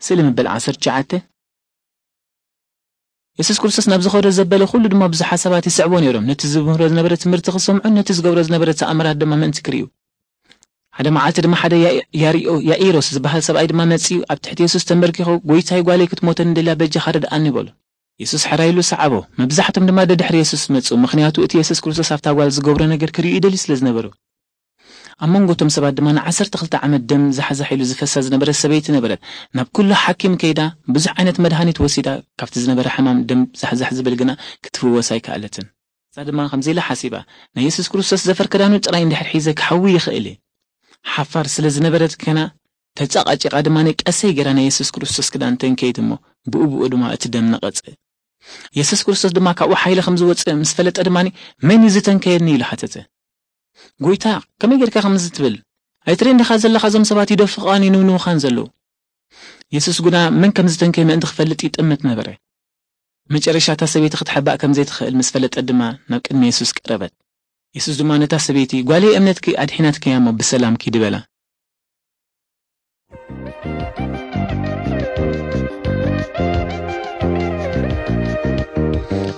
ስእሊ ምበል ዓሰርተ ትሽዓተ። የሱስ ክርስቶስ ናብ ዝኸዶ ዘበለ ኩሉ ድማ ብዙሓት ሰባት ይስዕቦ ነይሮም፣ ነቲ ዝምህሮ ዝነበረ ትምህርቲ ክሰምዑን ነቲ ዝገብሮ ዝነበረ ተኣምራት ድማ ምእንቲ ክርእዩ። ሓደ መዓልቲ ድማ ሓደ ያኢ-፣ ያሪኦ-፣ ያኢሮስ ዝበሃል ሰብኣይ ድማ መጺኡ ኣብ ትሕቲ የሱስ ተንበርኪኹ፣ "ጎይታይ፣ ጓለይ ክትሞተኒ ደልያ፣ በጃኻ ርድኣኒ" በሎ። የሱስ ሕራይ ኢሉ ሰዓቦ። መብዛሕቶም ድማ ደድሕሪ የሱስ መጹ፣ ምኽንያቱ እቲ የሱስ ክርስቶስ ኣብታ ጓል ዝገብሮ ነገር ክርእዩ ይደልዩ ስለ ዝነበሩ። ኣብ መንጎ እቶም ሰባት ድማ ንዓሰርተ ክልተ ዓመት ደም ዛሕዛሕ ኢሉ ዝፈሳ ዝነበረት ሰበይቲ ነበረት። ናብ ኩሉ ሓኪም ከይዳ፣ ብዙሕ ዓይነት መድሃኒት ወሲዳ፣ ካብቲ ዝነበረ ሕማም ደም ዛሕዛሕ ዝብል ግና ክትፍወስ ኣይከኣለትን። እሳ ድማ ከምዚ ኢላ ሓሲባ፣ "ናይ የሱስ ክርስቶስ ዘፈር ክዳኑ ጥራይ እንድሕር ሒዘ ክሓዊ ይኽእል እየ።" ሓፋር ስለ ዝነበረት ከና ተጻቓጪቓ ድማ ቀሰይ ገይራ ናይ የሱስ ክርስቶስ ክዳን ተንከየት እሞ ብኡ ብኡ ድማ እቲ ደም ነቐጸ። የሱስ ክርስቶስ ድማ ካብኡ ሓይሊ ከም ዝወጽእ ምስ ፈለጠ ድማ፣ "መን እዩ ዝተንከየኒ?" ኢሉ ሓተተ። "ጎይታ፣ ከመይ ጌርካ ከምዚ ትብል? ኣይትርእን ዲኻ ዘለኻ እዞም ሰባት ይደፍቓን ይንውንውኻን ዘለዉ?" የሱስ ግና መን ከም ዝተንከየ ምእንቲ ክፈልጥ ይጥምት ነበረ። መጨረሻ እታ ሰበይቲ ክትሕባእ ከም ዘይትኽእል ምስ ፈለጠት ድማ ናብ ቅድሚ የሱስ ቀረበት። የሱስ ድማ ነታ ሰበይቲ፣ "ጓለይ፣ እምነትኪ ኣድሒናትኪ እያ እሞ ብሰላም ኪዲ" በላ።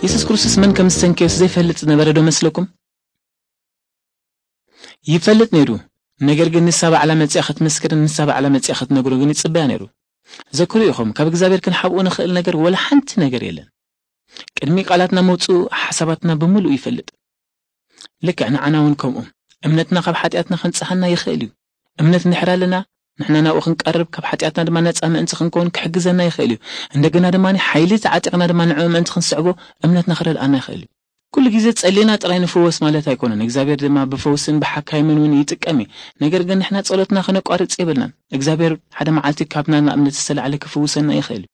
የሱስ ክርስቶስ መን ከም ዝተንከየስ ዘይፈልጥ ዝነበረ ዶ መስለኩም? ይፈልጥ ነይሩ። ነገር ግን ንሳ ባዕላ መጺኣ ክትምስክርን ንሳ ባዕላ መጺኣ ክትነግሮ ግን ይጽበያ ነይሩ። ዘክሩ ኢኹም፣ ካብ እግዚኣብሔር ክንሓብኦ ንኽእል ነገር ወላ ሓንቲ ነገር የለን። ቅድሚ ቃላትና መውጽኡ ሓሳባትና ብምሉእ ይፈልጥ። ልክዕ ንዓና እውን ከምኡ። እምነትና ካብ ሓጢኣትና ከንጽሃና ይኽእል እዩ። እምነት እንድሕር ኣለና፣ ንሕና ናብኡ ክንቀርብ፣ ካብ ሓጢኣትና ድማ ነጻ ምእንቲ ክንከውን ክሕግዘና ይኽእል እዩ። እንደገና ድማ ሓይሊ ተዓጢቕና ድማ ንዕኡ ምእንቲ ክንስዕቦ እምነትና ክረድኣና ይኽእል እዩ። ኩሉ ግዜ ጸሊና ጥራይ ንፍወስ ማለት ኣይኮነን። እግዚኣብሔር ድማ ብፈውስን ብሓካይምን እውን ይጥቀም እዩ። ነገር ግን ንሕና ጸሎትና ከነቋርጽ የብልናን። እግዚኣብሔር ሓደ መዓልቲ ካብና ንኣብነት ዝተላዕለ ክፍውሰና ይኽእል እዩ።